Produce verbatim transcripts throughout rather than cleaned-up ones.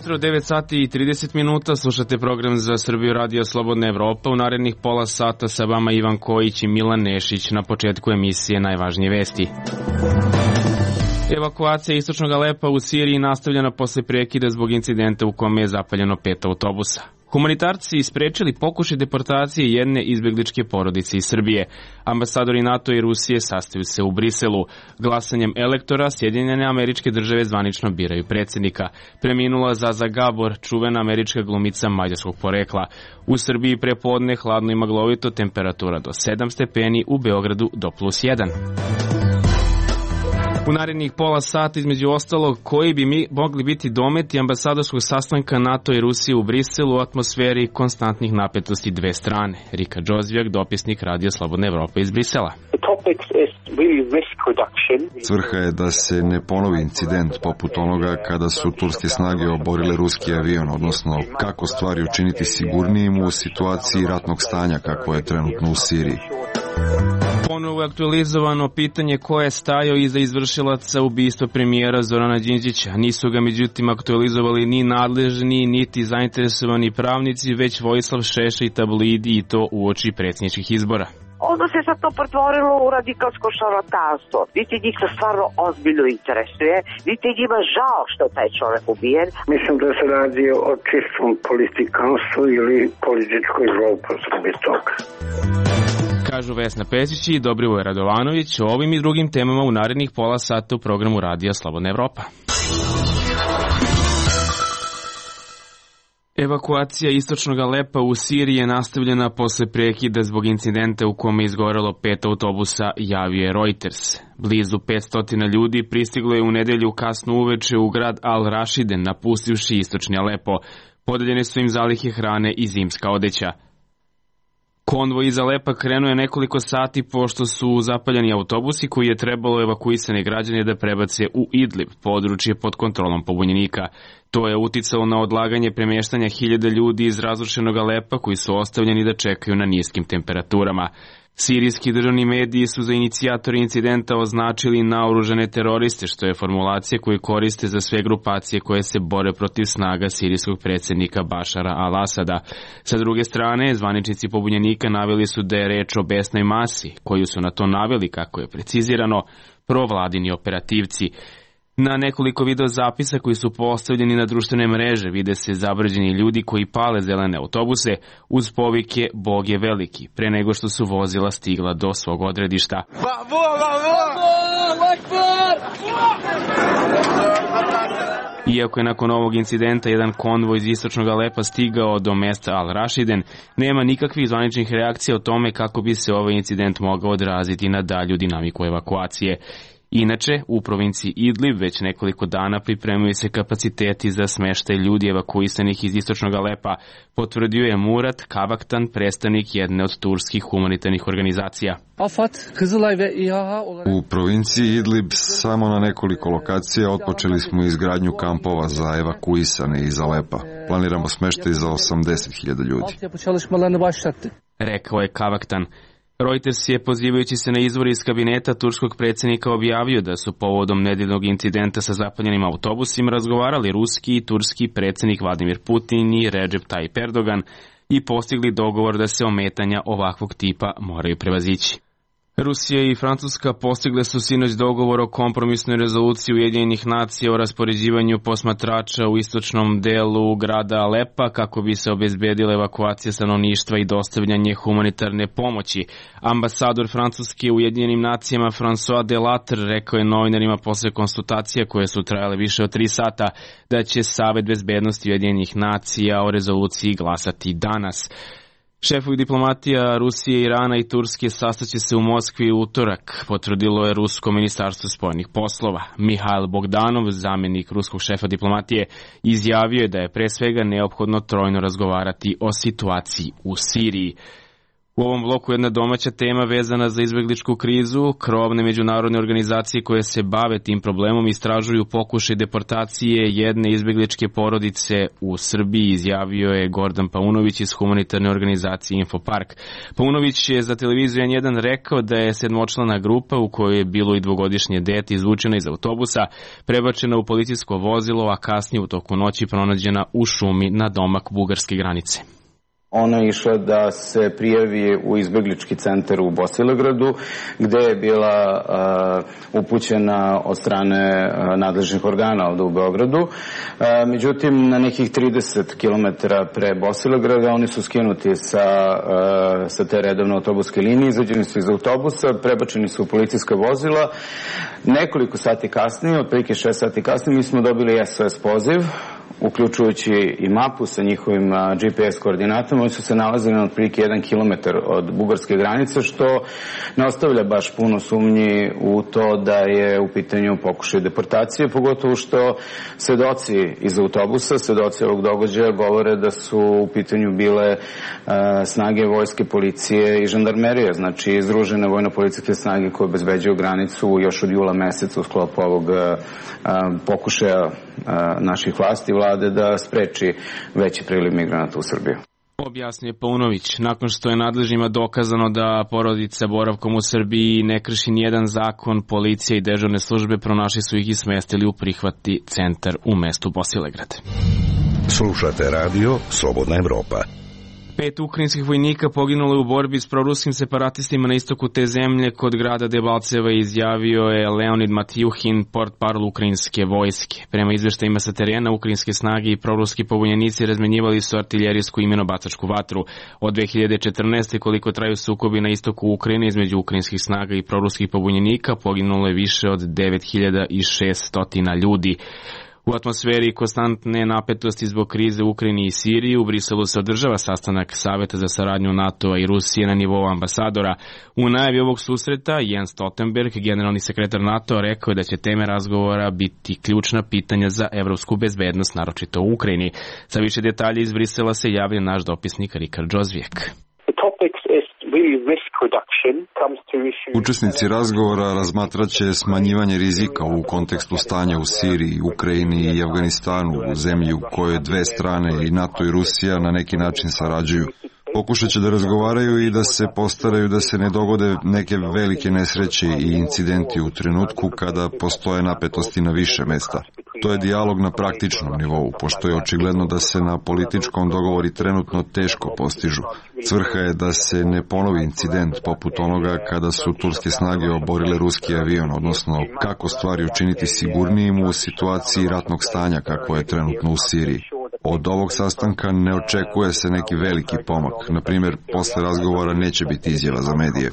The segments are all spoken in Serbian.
jutro, devet sati i trideset minuta, slušate program za Srbiju Radio Slobodna Evropa. U narednih pola sata sa vama Ivan Kojić i Milan Nešić. Na početku emisije najvažnije vesti. Evakuacija istočnog Alepa u Siriji nastavljena posle prekida zbog incidenta u kome je zapaljeno pet autobusa. Humanitarci isprečili pokušaj deportacije jedne izbegličke porodice iz Srbije. Ambasadori NATO i Rusije sastaju se u Briselu. Glasanjem elektora Sjedinjene Američke Države zvanično biraju predsjednika. Preminula Zaza Gabor, čuvena američka glumica mađarskog porekla. U Srbiji prepodne hladno i maglovito, temperatura do sedam stepeni, u Beogradu do plus jedan. U narednih pola sata, između ostalog, koji bi mi mogli biti dometi ambasadorskog sastanka NATO i Rusije u Briselu u atmosferi konstantnih napetosti dve strane. Rika Džozvijak, dopisnik Radio Slobodna Evropa iz Brisela. Svrha je da se ne ponovi incident poput onoga kada su turske snage oborile ruski avion, odnosno kako stvari učiniti sigurnijim u situaciji ratnog stanja kako je trenutno u Siriji. Ponovo je aktualizovano pitanje ko je stajao iza izvršilaca ubistva premijera Zorana Đinđića. Nisu ga međutim aktualizovali ni nadležni, niti zainteresovani pravnici, već Vojislav Šešelj i tabloidi, i to uoči predsjedničkih izbora. Onda se sad to pretvorilo u radikalsko šarlatanstvo. Niti njih to stvarno ozbiljno interesuje, niti njima žao što taj čovjek ubijen. Mislim da se radi o čistom politikanstvu ili političkoj zloupotrebi toga. Kažu Vesna Pešić i Dobrivoje Radovanović o ovim i drugim temama u narednih pola sata u programu Radija Slobodna Evropa. Evakuacija istočnog Alepa u Siriji je nastavljena posle prekida zbog incidenta u kome je izgorelo pet autobusa, javio je Reuters. Blizu petsto ljudi pristiglo je u nedelju kasno uveče u grad Al-Rašiden, napustivši istočni Alepo. Podeljene su im zalihe hrane i zimska odeća. Konvoj iz Alepa krenuo je nekoliko sati pošto su zapaljeni autobusi koji je trebalo evakuisane građane da prebace u Idlib, područje pod kontrolom pobunjenika. To je uticalo na odlaganje premještanja hiljada ljudi iz razrušenog Alepa koji su ostavljeni da čekaju na niskim temperaturama. Sirijski državni mediji su za inicijatori incidenta označili naoružane teroriste, što je formulacija koju koriste za sve grupacije koje se bore protiv snaga sirijskog predsjednika Bašara al-Asada. Sa druge strane, zvaničnici pobunjenika naveli su da je reč o besnoj masi, koju su na to naveli, kako je precizirano, provladini operativci. Na nekoliko video zapisa koji su postavljeni na društvene mreže vide se zavrđeni ljudi koji pale zelene autobuse uz povike Bog je veliki, pre nego što su vozila stigla do svog odredišta. Iako je nakon ovog incidenta jedan konvoj iz istočnog Alepa stigao do mesta Al-Rašiden, nema nikakvih zvaničnih reakcija o tome kako bi se ovaj incident mogao odraziti na dalju dinamiku evakuacije. Inače, u provinciji Idlib već nekoliko dana pripremaju se kapaciteti za smeštaj ljudi evakuisanih iz istočnog Alepa, potvrdio je Murat Kavaktan, predstavnik jedne od turskih humanitarnih organizacija. U provinciji Idlib samo na nekoliko lokacija otpočeli smo izgradnju kampova za evakuisane iz Alepa. Planiramo smeštaj za osamdeset hiljada ljudi. Rekao je Kavaktan. Reuters je, pozivajući se na izvor iz kabineta turskog predsjednika, objavio da su povodom nedeljnog incidenta sa zapaljenim autobusima razgovarali ruski i turski predsjednik Vladimir Putin i Recep Tayyip Erdogan i postigli dogovor da se ometanja ovakvog tipa moraju prevazići. Rusija i Francuska postigle su sinoć dogovor o kompromisnoj rezoluciji Ujedinjenih nacija o raspoređivanju posmatrača u istočnom delu grada Alepa kako bi se obezbedila evakuacija stanovništva i dostavljanje humanitarne pomoći. Ambasador Francuske u Ujedinjenim nacijama François Delattre rekao je novinarima posle konsultacija koje su trajale više od tri sata da će Savet bezbednosti Ujedinjenih nacija o rezoluciji glasati danas. Šefovi diplomatija Rusije, Irana i Turske sastaće se u Moskvi u utorak, potvrdilo je Rusko ministarstvo spoljnih poslova. Mihail Bogdanov, zamjenik ruskog šefa diplomatije, izjavio je da je pre svega neophodno trojno razgovarati o situaciji u Siriji. U ovom bloku jedna domaća tema vezana za izbegličku krizu. Krovne međunarodne organizacije koje se bave tim problemom istražuju pokušaj deportacije jedne izbegličke porodice u Srbiji, izjavio je Gordan Paunović iz humanitarne organizacije Infopark. Paunović je za televiziju N jedan rekao da je sedmočlana grupa u kojoj je bilo i dvogodišnje dete izvučena iz autobusa, prebačena u policijsko vozilo, a kasnije u toku noći pronađena u šumi na domak bugarske granice. Ona je išla da se prijavi u izbeglički centar u Bosilegradu, gde je bila uh, upućena od strane uh, nadležnih organa ovde u Beogradu. Uh, međutim, na nekih trideset kilometara pre Bosilegrada oni su skinuti sa, uh, sa te redovne autobuske linije, izađeni su iz autobusa, prebačeni su u policijska vozila. Nekoliko sati kasnije, otprilike šest sati kasnije, mi smo dobili S O S poziv, uključujući i mapu sa njihovim G P S koordinatama. Oni su se nalazili na otprilike jedan kilometar od bugarske granice, što ne ostavlja baš puno sumnji u to da je u pitanju pokušaj deportacije, pogotovo što svedoci iz autobusa, svedoci ovog događaja govore da su u pitanju bile a, snage vojske, policije i žandarmerije, znači izdružene vojno-policijske snage koje obezbeđuju granicu još od jula meseca u sklopu ovog a, a, pokušaja a, naših vlasti vlade da spreči veći priliv migranata u Srbiju. Objasnio je Paunović. Nakon što je nadležnjima dokazano da porodica boravkom u Srbiji ne krši nijedan zakon, policija i dežurne službe pronašli su ih i smestili u prihvatni centar u mestu Bosilegrad. Slušate radio Slobodna Evropa. Pet ukrajinskih vojnika poginulo je u borbi s proruskim separatistima na istoku te zemlje kod grada Debalceva, izjavio je Leonid Matjuhin, portparol ukrajinske vojske. Prema izveštajima sa terena, ukrajinske snage i proruski pobunjenici razmenjivali su artiljerijsku i minobacačku vatru. Od dve hiljade četrnaeste. koliko traju sukobi na istoku Ukrajine između ukrajinskih snaga i proruskih pobunjenika, poginulo je više od devet hiljada šesto ljudi. U atmosferi konstantne napetosti zbog krize u Ukrajini i Siriji, u Briselu se održava sastanak Saveta za saradnju NATO-a i Rusije na nivou ambasadora. U najavi ovog susreta Jens Stoltenberg, generalni sekretar NATO-a, rekao je da će teme razgovora biti ključna pitanja za evropsku bezbednost, naročito u Ukrajini. Sa više detalja iz Brisela se javlja naš dopisnik Rikard Džozvijek. Učesnici razgovora razmatraće smanjivanje rizika u kontekstu stanja u Siriji, Ukrajini i Afganistanu, u zemlji u kojoj dve strane, i NATO i Rusija, na neki način sarađuju. Pokušat će da razgovaraju i da se postaraju da se ne dogode neke velike nesreće i incidenti u trenutku kada postoje napetosti na više mesta. To je dijalog na praktičnom nivou, pošto je očigledno da se na političkom dogovori trenutno teško postižu. Svrha je da se ne ponovi incident poput onoga kada su turske snage oborile ruski avion, odnosno kako stvari učiniti sigurnijim u situaciji ratnog stanja kako je trenutno u Siriji. Od ovog sastanka ne očekuje se neki veliki pomak. Na primjer, posle razgovora neće biti izjava za medije.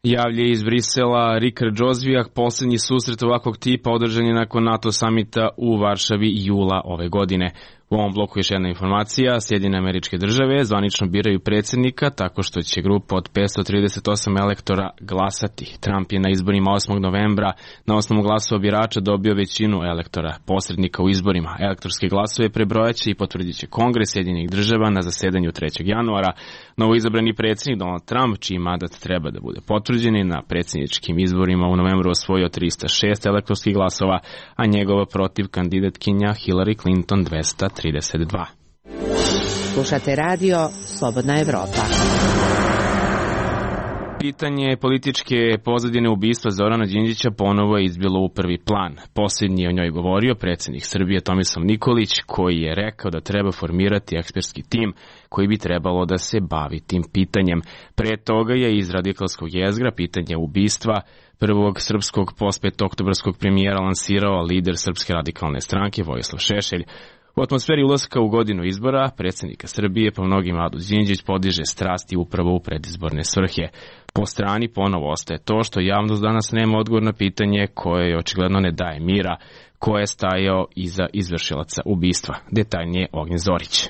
Javlja iz Brisela Rikard Džozvijak. Poslednji susret ovakvog tipa održan je nakon NATO samita u Varšavi jula ove godine. U ovom bloku još jedna informacija. Sjedinjene Američke Države zvanično biraju predsjednika tako što će grupa od petsto trideset osam elektora glasati. Trump je na izborima osmog novembra na osnovu glasova birača dobio većinu elektora, posrednika u izborima. Elektorske glasove prebrojaće i potvrdit će Kongres Sjedinjenih Država na zasedanju trećeg januara. Novoizabrani predsjednik Donald Trump, čiji mandat treba da bude potvrđen, na predsjedničkim izborima u novembru osvojio trista šest elektorskih glasova, a njegova protiv kandidatkinja Hillary Clinton dvesta trideset dva. Slušate radio Slobodna Evropa. Pitanje političke pozadine ubistva Zorana Đinđića ponovo je izbilo u prvi plan. Posljednji je o njoj govorio predsjednik Srbije Tomislav Nikolić, koji je rekao da treba formirati ekspertski tim koji bi trebalo da se bavi tim pitanjem. Pre toga je iz radikalskog jezgra pitanje ubistva prvog srpskog postpetooktobarskog premijera lansirao lider Srpske radikalne stranke Vojislav Šešelj. U atmosferi ulaska u godinu izbora predsjednika Srbije po mnogim Mladen Đinđić podiže strasti upravo u predizborne svrhe. Po strani ponovo ostaje to što javnost danas nema odgovor na pitanje koje očigledno ne daje mira, ko je stajao iza izvršilaca ubistva. Detaljnije Ognjen Zorić.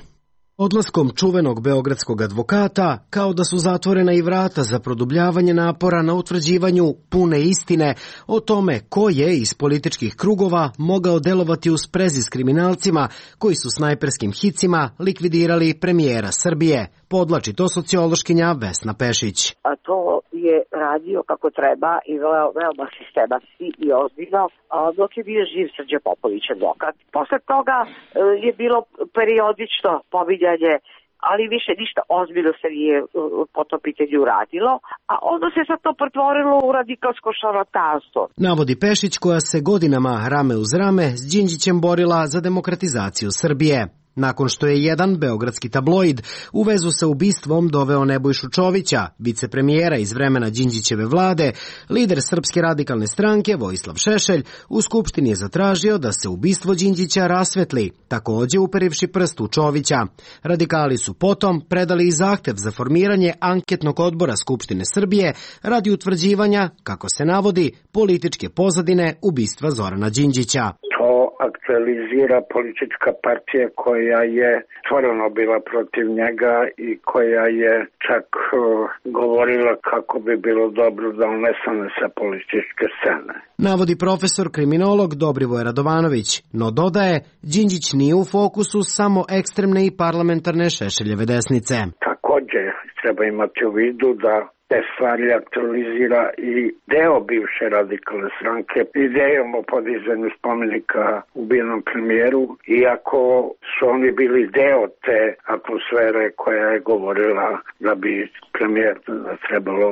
Odlaskom čuvenog beogradskog advokata, kao da su zatvorena i vrata za produbljavanje napora na utvrđivanju pune istine o tome ko je iz političkih krugova mogao delovati u sprezi s kriminalcima koji su snajperskim hicima likvidirali premijera Srbije, podlači to sociološkinja Vesna Pešić. A to je radio kako treba i veoma sistematski i ozbiljno, dok je bio živ Srđan Popović advokat. Posle toga je bilo periodično pominjanje, ali više ništa ozbiljno se nije po tom pitanju uradilo, a onda se sad to pretvorilo u radikalsko šarlatanstvo. Navodi Pešić, koja se godinama rame uz rame s Đinđićem borila za demokratizaciju Srbije. Nakon što je jedan beogradski tabloid u vezu sa ubistvom doveo Nebojšu Čovića, vicepremijera iz vremena Đinđićeve vlade, lider Srpske radikalne stranke Vojislav Šešelj u Skupštini je zatražio da se ubistvo Đinđića rasvetli, takođe uperivši prst u Čovića. Radikali su potom predali i zahtev za formiranje anketnog odbora Skupštine Srbije radi utvrđivanja, kako se navodi, političke pozadine ubistva Zorana Đinđića. To aktualizira politička partija koja je stvarno bila protiv njega i koja je čak govorila kako bi bilo dobro da on nestane sa političke scene. Navodi profesor kriminolog Dobrivoje Radovanović, no dodaje, Đinđić nije u fokusu samo ekstremne i parlamentarne Šešeljeve desnice. Takođe treba imati u vidu da te stvari aktualizira i deo bivše radikalne stranke idejom o podizanju spomenika ubijenom premijeru, iako su oni bili deo te atmosfere koja je govorila da bi premijer trebalo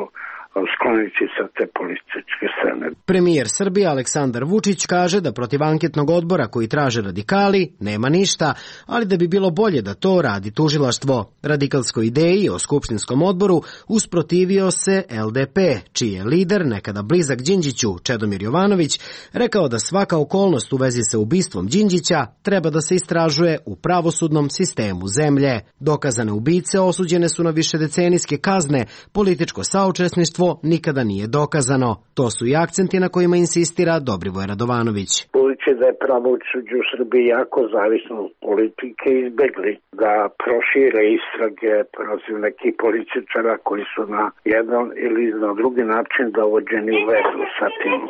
skloniti sa te političke scene. Premijer Srbije Aleksandar Vučić kaže da protiv anketnog odbora koji traže radikali nema ništa, ali da bi bilo bolje da to radi tužilaštvo. Radikalskoj ideji o skupštinskom odboru usprotivio se L D P, čiji je lider, nekada blizak Đinđiću, Čedomir Jovanović, rekao da svaka okolnost u vezi sa ubistvom Đinđića treba da se istražuje u pravosudnom sistemu zemlje. Dokazane ubice osuđene su na višedecenijske kazne, političko saučesništvo nikada nije dokazano. To su i akcenti na kojima insistira Dobrivoje Radovanović. Budući da je pravosuđe u Srbiji jako zavisno od politike, izbegli da prošire istrage protiv nekih političara koji su na jedan ili na drugi način dovođeni u vezu sa tim.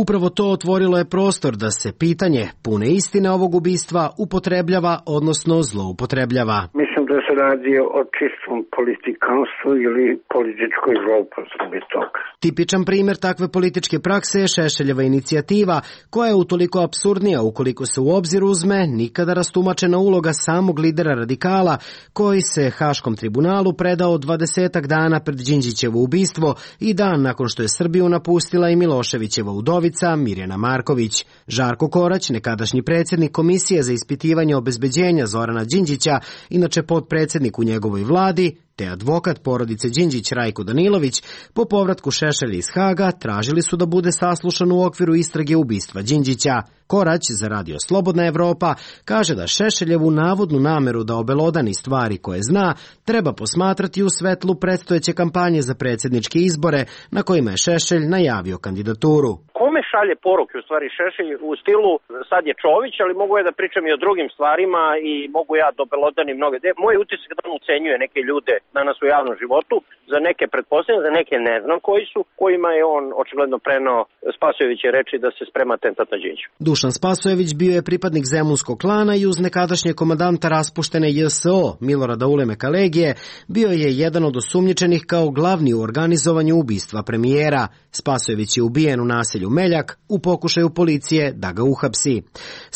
Upravo to otvorilo je prostor da se pitanje pune istine ovog ubistva upotrebljava, odnosno zloupotrebljava. Mislim da se radi o čistom politikanstvu ili političkoj zloupotrebi toga. Tipičan primjer takve političke prakse je Šešeljeva inicijativa, koja je utoliko apsurdnija ukoliko se u obzir uzme nikada rastumačena uloga samog lidera radikala, koji se Haškom tribunalu predao dvadesetak dana pred Đinđićevo ubistvo i dan nakon što je Srbiju napustila i Miloševićeva udovica Mirjana Marković. Žarko Korać, nekadašnji predsjednik Komisije za ispitivanje obezbeđenja Zorana Đinđića, inače potpredsjednik u njegovoj vladi, te advokat porodice Đinđić Rajko Danilović, po povratku Šešelja iz Haga tražili su da bude saslušan u okviru istrage ubistva Đinđića. Korać za radio Slobodna Evropa kaže da Šešeljevu navodnu nameru da obelodani stvari koje zna treba posmatrati u svetlu predstojeće kampanje za predsjedničke izbore na kojima je Šešelj najavio kandidaturu. Kome šalje poruke u stvari Šešelj u stilu sad je Čović, ali mogu ja da pričam i o drugim stvarima i mogu ja da obelodanim mnoge. Moj utisak da on ucenjuje neke ljude danas u javnom životu, za neke pretpostavljam, za neke ne znam koji su, kojima je on očigledno prenao Spasojeviće reči da se sprema atentat na Đinđića. Dušan Spasojević bio je pripadnik zemunskog klana i uz nekadašnje komandanta raspuštene J S O Milorada Ulemeka Legije bio je jedan od osumnjičenih kao glavni u organizovanju ubistva premijera. Spasojević je ubijen u naselju Meljak u pokušaju policije da ga uhapsi.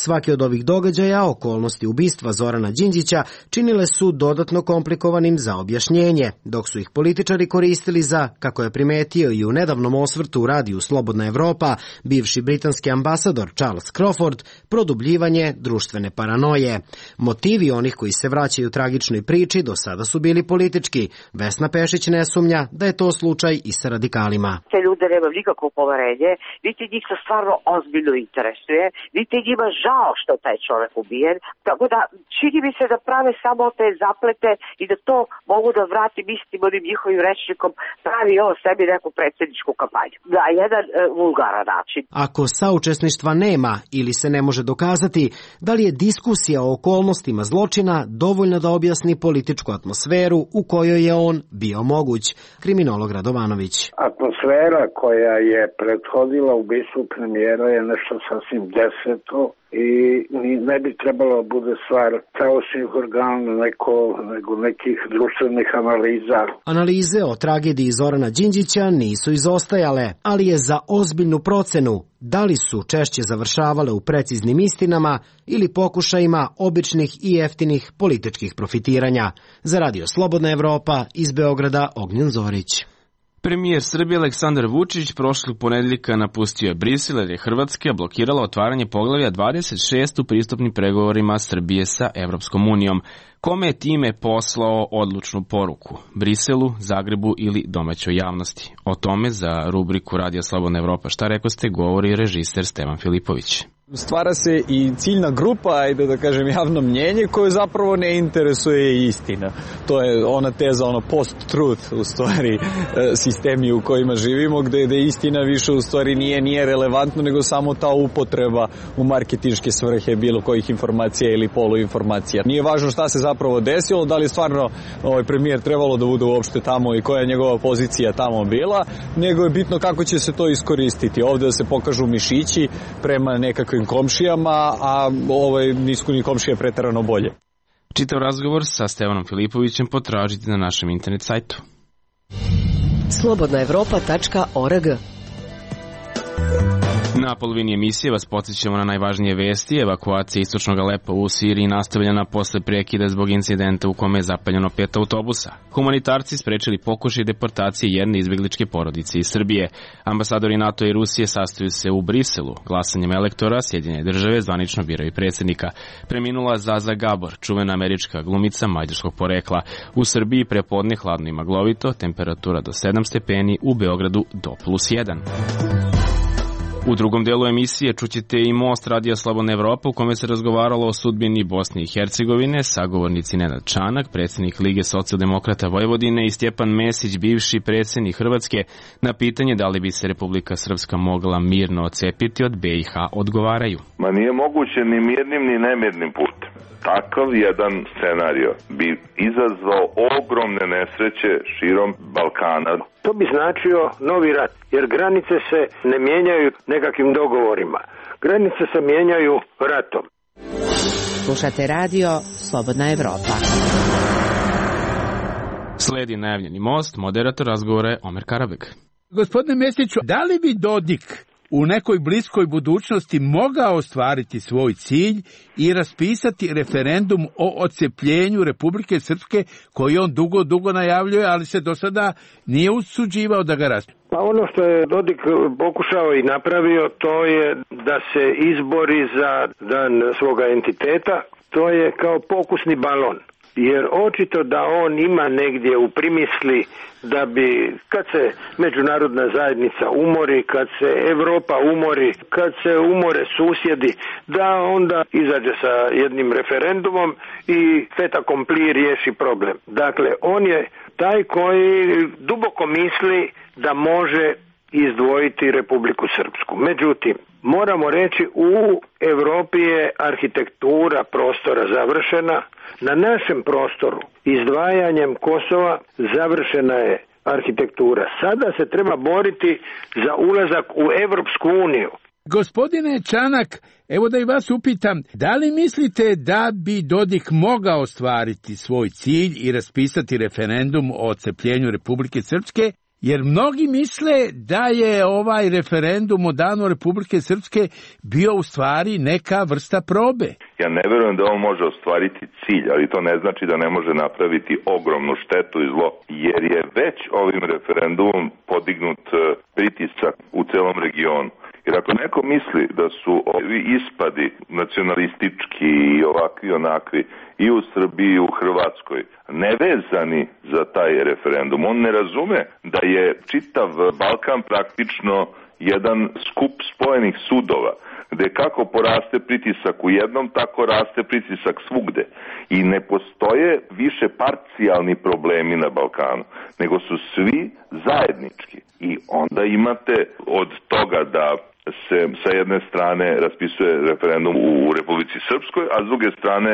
Svaki od ovih događaja, okolnosti ubistva Zorana Đinđića, činile su dodatno komplikovanim za objašnjenje, dok su ih političari koristili za, kako je primetio i u nedavnom osvrtu u radiju Slobodna Evropa, bivši britanski ambasador Charles Crawford, produbljivanje društvene paranoje. Motivi onih koji se vraćaju tragičnoj priči do sada su bili politički. Vesna Pešić ne sumnja da je to slučaj i sa radikalima. Te ljude nema nikakvo poverenje, niti njih to stvarno ozbiljno interesuje, niti njima žao što taj čovjek ubijen, tako da čini mi se da prave samo te zaplete i da to mogu da vratim istim onim njihovim rečnikom, pravi ovo sebi neku predsjedničku kampanju. Na jedan e, vulgaran način. Ako saučesništva nema ili se ne može dokazati, da li je diskusija o okolnostima zločina dovoljna da objasni političku atmosferu u kojoj je on bio moguć? Kriminolog Radovanović. Atmosfera koja je prethodila ubistvu premijera je nešto sasvim deseto i ne bi trebalo bude stvar pravosudnih organa neko, nego nekih društvenih analiza. Analize o tragediji Zorana Đinđića nisu izostajale, ali je za ozbiljnu procenu da li su češće završavale u preciznim istinama ili pokušajima običnih i jeftinih političkih profitiranja. Za Radio Slobodna Evropa iz Beograda Ognjen Zorić. Premijer Srbije Aleksandar Vučić prošlog ponedeljka napustio je Brisel jer je Hrvatska blokirala otvaranje poglavlja dvadeset šest u pristupnim pregovorima Srbije sa Evropskom unijom. Kome je time poslao odlučnu poruku? Briselu, Zagrebu ili domaćoj javnosti? O tome za rubriku Radio Slobodna Evropa Šta rekoste govori režiser Stevan Filipović. Stvara se i ciljna grupa, ajde da kažem javno mnjenje, koje zapravo ne interesuje istina. To je ona teza, ono post-truth u stvari sistemi u kojima živimo, gde, gde istina više u stvari nije, nije relevantno, nego samo ta upotreba u marketinške svrhe bilo kojih informacija ili poluinformacija. Nije važno šta se zapravo desilo, da li je stvarno ovaj premijer trebalo da bude uopšte tamo i koja je njegova pozicija tamo bila, nego je bitno kako će se to iskoristiti. Ovde da se pokažu mišići prema nekakvim komšijama, a ovaj nisu ni komšije preterano bolje. Čitav razgovor sa Stevanom Filipovićem potražite na našem internet sajtu. slobodna evropa tačka org. Na polovini emisije vas podsjećamo na najvažnije vesti. Evakuacija istočnog Alepa u Siriji nastavljena posle prekida zbog incidenta u kome je zapaljeno pet autobusa. Humanitarci sprečili pokušaj deportacije jedne izbegličke porodice iz Srbije. Ambasadori NATO i Rusije sastaju se u Briselu. Glasanjem elektora Sjedinjene države zvanično biraju predsjednika. Preminula Zaza Gabor, čuvena američka glumica mađarskog porekla. U Srbiji prepodne hladno i maglovito, temperatura do sedam stepeni, u Beogradu do plus jedan. U drugom delu emisije čućete i Most Radija Slobodna Evropa u kome se razgovaralo o sudbini Bosne i Hercegovine, sagovornici Nenad Čanak, predsjednik Lige socijaldemokrata Vojvodine i Stjepan Mesić, bivši predsjednik Hrvatske, na pitanje da li bi se Republika Srpska mogla mirno odcepiti od be i ha odgovaraju. Ma nije moguće ni mirnim ni nemirnim putem. Takav jedan scenario bi izazvao ogromne nesreće širom Balkana. To bi značio novi rat, jer granice se ne mijenjaju nekakvim dogovorima. Granice se mijenjaju ratom. Slušate radio Slobodna Evropa. Sledi najavljeni Most, moderator razgovora je Omer Karabek. Gospodine Mesiću, da li bi Dodik u nekoj bliskoj budućnosti mogao ostvariti svoj cilj i raspisati referendum o odcepljenju Republike Srpske koji on dugo, dugo najavljuje, ali se do sada nije usuđivao da ga raspisuje? Pa ono što je Dodik pokušao i napravio, to je da se izbori za dan svoga entiteta. To je kao pokusni balon. Jer očito da on ima negdje u primisli da bi, kad se međunarodna zajednica umori, kad se Evropa umori, kad se umore susjedi, da onda izađe sa jednim referendumom i fait accompli riješi problem. Dakle, on je taj koji duboko misli da može izdvojiti Republiku Srpsku. Međutim, moramo reći, u Evropi je arhitektura prostora završena. Na našem prostoru, izdvajanjem Kosova, završena je arhitektura. Sada se treba boriti za ulazak u Evropsku uniju. Gospodine Čanak, evo da i vas upitam, da li mislite da bi Dodik mogao ostvariti svoj cilj i raspisati referendum o odcepljenju Republike Srpske? Jer mnogi misle da je ovaj referendum o danu Republike Srpske bio u stvari neka vrsta probe. Ja ne verujem da on može ostvariti cilj, ali to ne znači da ne može napraviti ogromnu štetu i zlo, jer je već ovim referendumom podignut pritisak u celom regionu. Jer ako neko misli da su ovi ispadi nacionalistički i ovakvi onakvi i u Srbiji i u Hrvatskoj nevezani za taj referendum, on ne razume da je čitav Balkan praktično jedan skup spojenih sudova, gde kako poraste pritisak u jednom, tako raste pritisak svugde. I ne postoje više parcijalni problemi na Balkanu, nego su svi zajednički. I onda imate od toga da se sa jedne strane raspisuje referendum u Republici Srpskoj, a s druge strane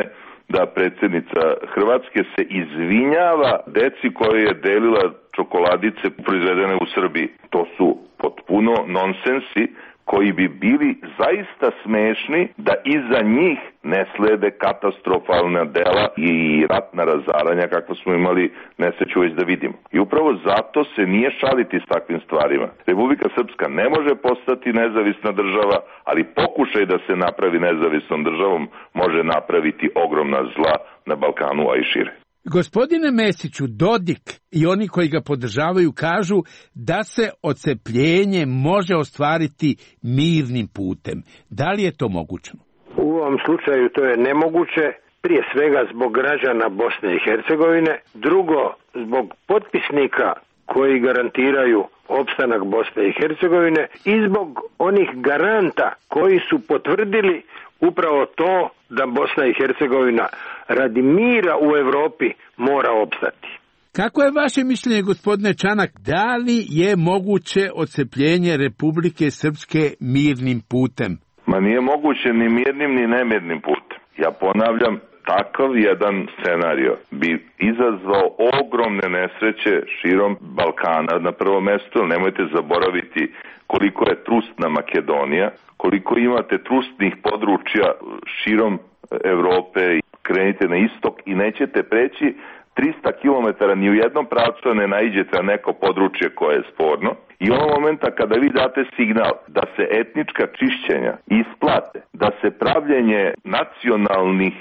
da predsjednica Hrvatske se izvinjava deci koje je delila čokoladice proizvedene u Srbiji. To su potpuno nonsensi koji bi bili zaista smešni da iza njih ne slede katastrofalna dela i ratna razaranja kakva smo imali nesreću već da vidimo. I upravo zato se nije šaliti s takvim stvarima. Republika Srpska ne može postati nezavisna država, ali pokušaj da se napravi nezavisnom državom može napraviti ogromna zla na Balkanu, a i šire. Gospodine Mesiću, Dodik i oni koji ga podržavaju kažu da se odcepljenje može ostvariti mirnim putem. Da li je to moguće? U ovom slučaju to je nemoguće, prije svega zbog građana Bosne i Hercegovine, drugo zbog potpisnika koji garantiraju opstanak Bosne i Hercegovine i zbog onih garanta koji su potvrdili upravo to da Bosna i Hercegovina radi mira u Evropi mora opstati. Kako je vaše mišljenje, gospodine Čanak, da li je moguće odcepljenje Republike Srpske mirnim putem? Ma nije moguće ni mirnim ni nemirnim putem. Ja ponavljam, takav jedan scenario bi izazvao ogromne nesreće širom Balkana na prvo mesto. Nemojte zaboraviti koliko je trustna Makedonija, koliko imate trustnih područja širom Evrope. Krenite na istok i nećete preći trista kilometara ni u jednom pravcu ne naiđete na neko područje koje je sporno. I onog momenta kada vi date signal da se etnička čišćenja isplate, da se pravljenje nacionalnih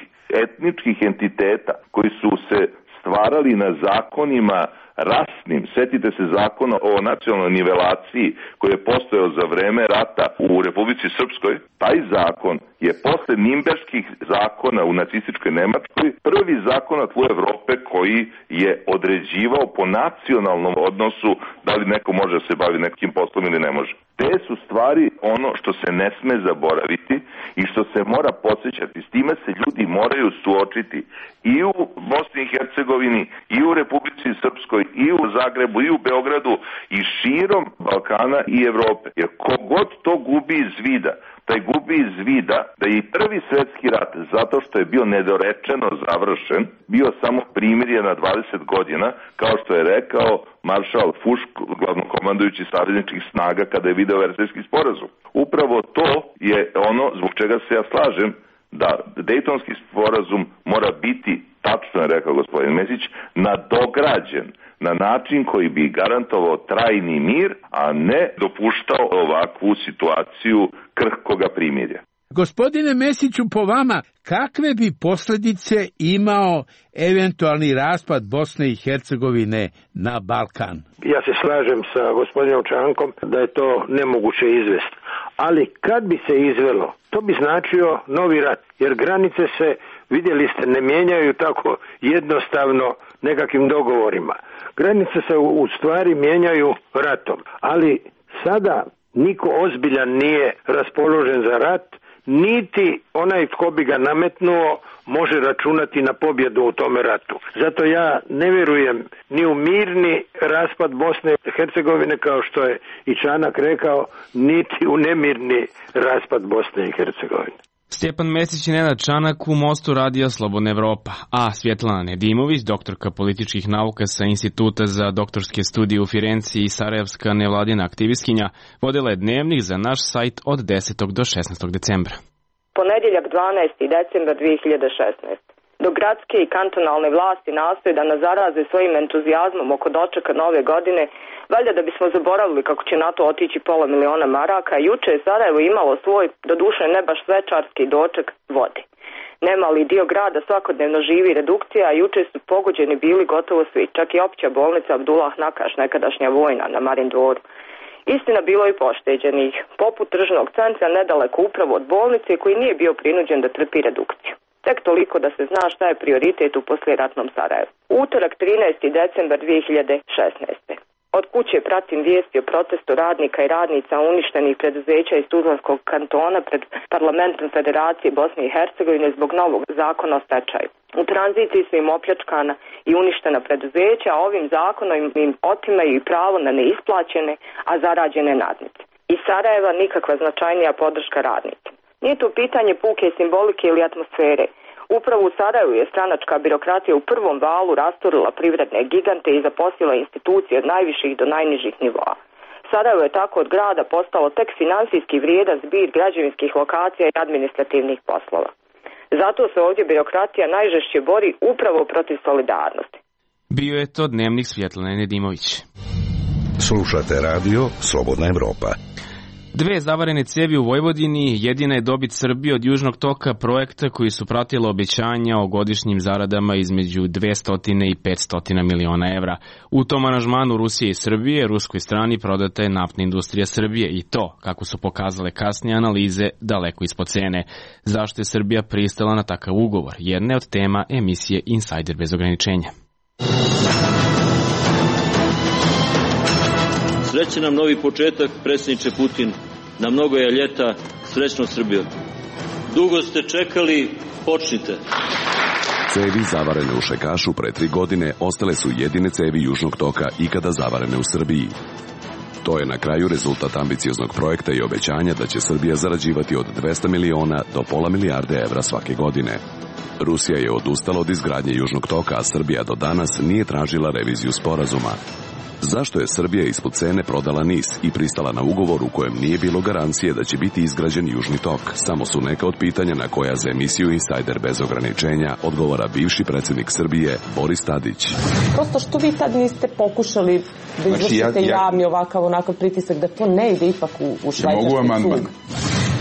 etničkih entiteta koji su se stvarali na zakonima rasnim, setite se zakona o nacionalnoj nivelaciji koji je postojao za vreme rata u Republici Srpskoj, taj zakon je posle Nimberških zakona u nacističkoj Nemačkoj prvi zakon u Evrope koji je određivao po nacionalnom odnosu da li neko može da se bavi nekim poslom ili ne može. Te su stvari ono što se ne sme zaboraviti i što se mora podsjećati. S time se ljudi moraju suočiti i u Bosni i Hercegovini, i u Republici Srpskoj, i u Zagrebu, i u Beogradu, i širom Balkana i Evrope. Jer kogod to gubi iz vida, taj gubi iz vida da je i prvi svetski rat, zato što je bio nedorečeno završen, bio samo primirje na dvadeset godina, kao što je rekao maršal Fušk, glavnokomandujući savezničkih snaga, kada je video Versajski sporazum. Upravo to je ono zbog čega se ja slažem da Dejtonski sporazum mora biti, tačno je rekao gospodin Mesić, nadograđen na način koji bi garantovao trajni mir, a ne dopuštao ovakvu situaciju krhkoga primirja. Gospodine Mesiću, po vama, kakve bi posljedice imao eventualni raspad Bosne i Hercegovine na Balkan? Ja se slažem sa gospodinom Čankom da je to nemoguće izvesti. Ali kad bi se izvelo, to bi značio novi rat, jer granice se, vidjeli ste, ne mijenjaju tako jednostavno nekakvim dogovorima. Granice se u stvari mijenjaju ratom, ali sada niko ozbiljan nije raspoložen za rat, niti onaj tko bi ga nametnuo može računati na pobjedu u tome ratu. Zato ja ne vjerujem ni u mirni raspad Bosne i Hercegovine, kao što je i Čanak rekao, niti u nemirni raspad Bosne i Hercegovine. Stjepan Mesić i Nenad Čanak u Mostu radija Slobodna Evropa, a Svjetlana Nedimović, doktorka političkih nauka sa Instituta za doktorske studije u Firenci i sarajevska nevladina aktivistkinja, vodila je dnevnik za naš sajt od desetog do šesnaestog decembra. Ponedjeljak dvanaesti decembar dvije hiljade šesnaeste. Dok gradske i kantonalne vlasti nastoje da nas zaraze svojim entuzijazmom oko dočeka nove godine, valjda da bismo zaboravili kako će na to otići pola miliona maraka, juče je Sarajevo imalo svoj, doduše ne baš svečarski doček vode. Nemali dio grada svakodnevno živi redukcija, a juče su pogođeni bili gotovo svi, čak i opća bolnica Abdullah Nakaš, nekadašnja vojna na Marin dvoru. Istina, bilo i pošteđenih, poput tržnog centra nedaleko upravo od bolnice koji nije bio prinuđen da trpi redukciju. Tek toliko da se zna šta je prioritet u poslijeratnom Sarajevu. Utorak trinaesti decembar dvije hiljade šesnaeste. Od kuće pratim vijesti o protestu radnika i radnica uništenih preduzeća iz Tuzlanskog kantona pred parlamentom Federacije Bosne i Hercegovine zbog novog zakona o stečaju. U tranziciji su im opljačkana i uništena preduzeća, a ovim zakonom im otimaju i pravo na neisplaćene, a zarađene nadnice. Iz Sarajeva nikakva značajnija podrška radnika. Nije to pitanje puke simbolike ili atmosfere. Upravo u Sarajevu je stranačka birokratija u prvom valu rasturila privredne gigante i zaposlila institucije od najviših do najnižih nivoa. Sarajevo je tako od grada postalo tek finansijski vrijedan zbir građevinskih lokacija i administrativnih poslova. Zato se ovdje birokratija najžešće bori upravo protiv solidarnosti. Bio je to dnevnik Svjetlane Nedimović. Slušate radio Slobodna Evropa. Dve zavarene cijevi u Vojvodini jedina je dobit Srbije od Južnog toka, projekta koji su pratila obećanja o godišnjim zaradama između dvesta i petsto miliona evra. U tom aranžmanu Rusije i Srbije ruskoj strani prodata je naftna industrija Srbije i to, kako su pokazale kasnije analize, daleko ispod cene. Zašto je Srbija pristala na takav ugovor? Jedna od tema emisije Insider bez ograničenja. Srećan nam novi početak, predsjedniče Putin. Na mnogo je ljeta, srećno Srbijo. Dugo ste čekali, počnite. Cevi zavarene u Šekašu pre tri godine ostale su jedine cevi Južnog toka ikada zavarene u Srbiji. To je na kraju rezultat ambicioznog projekta i obećanja da će Srbija zarađivati od dvesta miliona do pola milijarde evra svake godine. Rusija je odustala od izgradnje Južnog toka, a Srbija do danas nije tražila reviziju sporazuma. Zašto je Srbija ispod cene prodala NIS i pristala na ugovor u kojem nije bilo garancije da će biti izgrađen Južni tok? Samo su neka od pitanja na koja za emisiju Insider bez ograničenja odgovara bivši predsjednik Srbije Boris Tadić. Prosto što vi tad niste pokušali da izvršite znači, ja, ja... javni ovakav onakav pritisak da to ne ide ipak u, u švajcarski sud?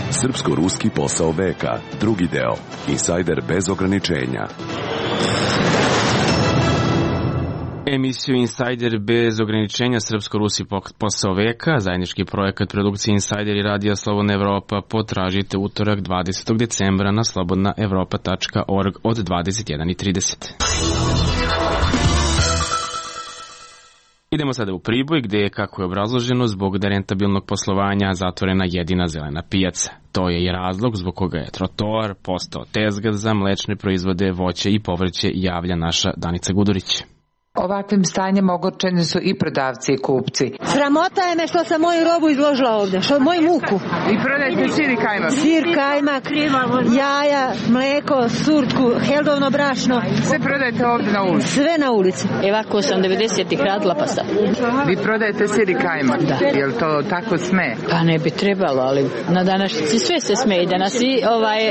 Srpsko-ruski posao veka, drugi deo, Insider bez ograničenja. Emisiju Insider bez ograničenja Srpsko-Rusi posao veka, zajednički projekat produkcije Insider i radija Slobodna Evropa, potražite utorak dvadesetog decembra na slobodna evropa tačka org od dvadeset jedan i trideset. Idemo sada u Priboj, gde je, kako je obrazloženo, zbog nerentabilnog poslovanja zatvorena jedina zelena pijaca. To je i razlog zbog koga je trotoar postao tezga za mlečne proizvode, voće i povrće, javlja naša Danica Gudurić. Ovakvim stanjem ogorčeni su i prodavci i kupci. Sramota je me što sam moju robu izložila ovde, što moju muku. I prodajete sir i kajmak? Sir, kajmak, jaja, mleko, surtku, heldovno brašno. Sve prodajete ovde na ulici? Sve na ulici. Evako sam devedesetih radila pa sad. Vi prodajete sir i kajmak? Da. Je li to tako sme? Pa ne bi trebalo, ali na današnjici sve se sme i da nas i ovaj,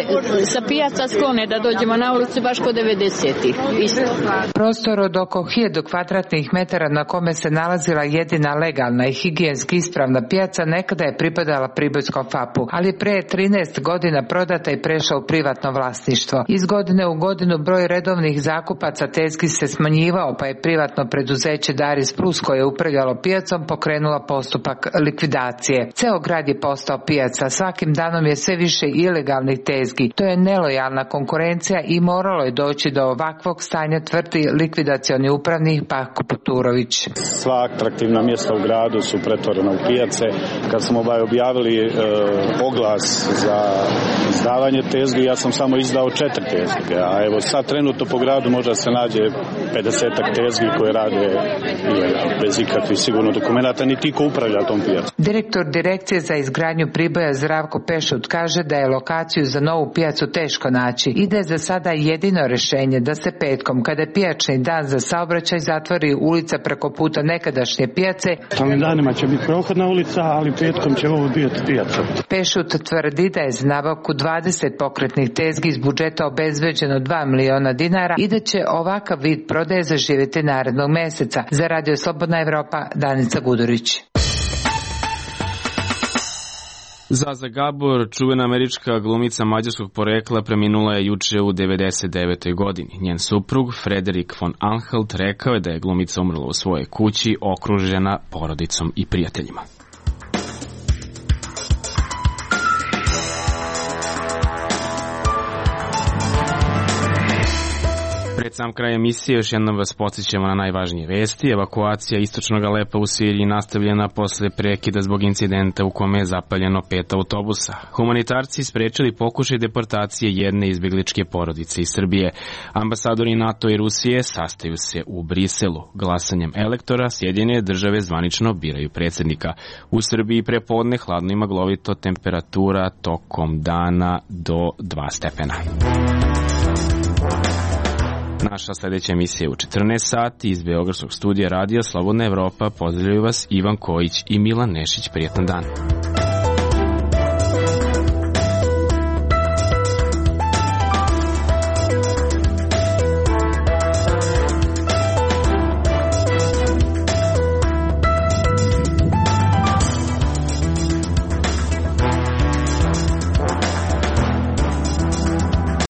sa pijaca sklone da dođemo na ulicu baš kod devedesetih. Isto. Prostor od oko hiljadu kvadratnih metara na kome se nalazila jedina legalna i higijenski ispravna pijaca nekada je pripadala Pribojskom fapu, ali pre trinaest godina prodata i prešla u privatno vlasništvo. Iz godine u godinu broj redovnih zakupaca tezgi se smanjivao, pa je privatno preduzeće Daris Plus koje je upravljalo pijacom pokrenula postupak likvidacije. Ceo grad je postao pijaca, svakim danom je sve više ilegalnih tezgi. To je nelojalna konkurencija i moralo je doći do ovakvog stanja, tvrdi likvidacioni upravnik Pako Poturović. Sva atraktivna mjesta u gradu su pretvorena u pijace. Kad smo ovaj objavili e, oglas za izdavanje tezgi, ja sam samo izdao četiri tezge, a evo sad trenutno po gradu možda se nađe pedesetak tezgi koje rade ilegalno, bez ikakvih sigurno dokumenta, niti ko upravlja tom pijacom. Direktor Direkcije za izgradnju Priboja Zdravko Pešut kaže da je lokaciju za novu pijacu teško naći i da je za sada jedino rješenje da se petkom, kada je pijačni dan za saobraćaj, zatvori ulica preko puta nekadašnje pijace. Ovim danima će biti prohodna ulica, ali petkom će ovo biti pijaca. Pešut tvrdi da je za nabavku dvadeset pokretnih tezgi iz budžeta obezbeđeno dva miliona dinara i da će ovakav vid prodaje zaživjeti narednog meseca. Za Radio Slobodna Evropa, Danica Gudurić. Zaza Gabor, čuvena američka glumica mađarskog porekla, preminula je juče u devedeset devetoj godini. Njen suprug, Frederik von Anhalt, rekao je da je glumica umrla u svojoj kući, okružena porodicom i prijateljima. Pred sam kraj emisije još jednom vas podsjećamo na najvažnije vesti. Evakuacija istočnog Alepa u Siriji nastavljena posle prekida zbog incidenta u kome je zapaljeno pet autobusa. Humanitarci sprečili pokušaj deportacije jedne izbjegličke porodice iz Srbije. Ambasadori NATO i Rusije sastaju se u Briselu. Glasanjem elektora Sjedinjene države zvanično biraju predsjednika. U Srbiji prepodne hladno i maglovito, temperatura tokom dana do dva stepena. Naša sledeća emisija je u četrnaest sati iz Beogradskog studija radija Slobodna Evropa. Pozdravljaju vas Ivan Kojić i Milan Nešić. Prijetan dan.